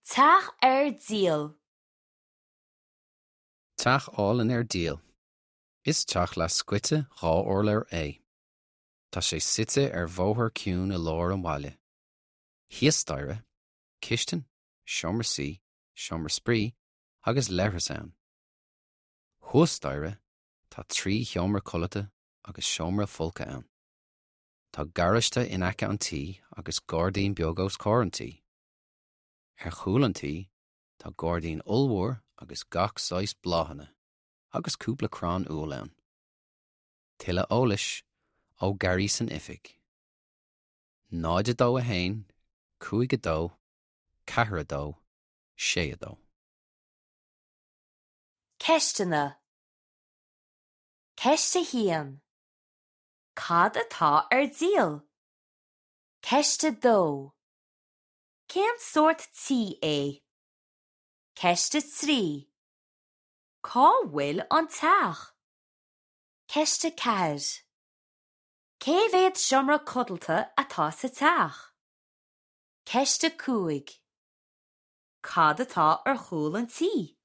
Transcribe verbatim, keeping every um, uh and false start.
Teach ar díol. Teach álainn ar díol. Is teach leathscoite dhá urlár é. Tá sé suite ar bhóthar ciúin i lár an bhaile. Thíos staighre, cistin, seomra suí, seomra spraoi agus leithreas ann. Thuas staighre tá trí sheomra codlata agus seomra folctha ann. Tá garáiste in aice an tí agus gairdín beag os comhair an tí. Ar chúl an tí tá gairdín ollmhór agus gach saghas bláthanna, agus cúpla crann úll ann. Tuilleadh eolais ó Gary san oifig. Náid a dó a haon, cúig a dó, ceathair a dó, sé a dó. Ceisteanna. Ceist a haon. Cad atá ar díol? Ceist a dó. Cén sórt tí é? Ceist a trí. Cá bhfuil an teach? Ceist a ceathair. Cé mhéad seomra codlata atá sa teach? Ceist a cúig. Cad atá ar chúl an tí?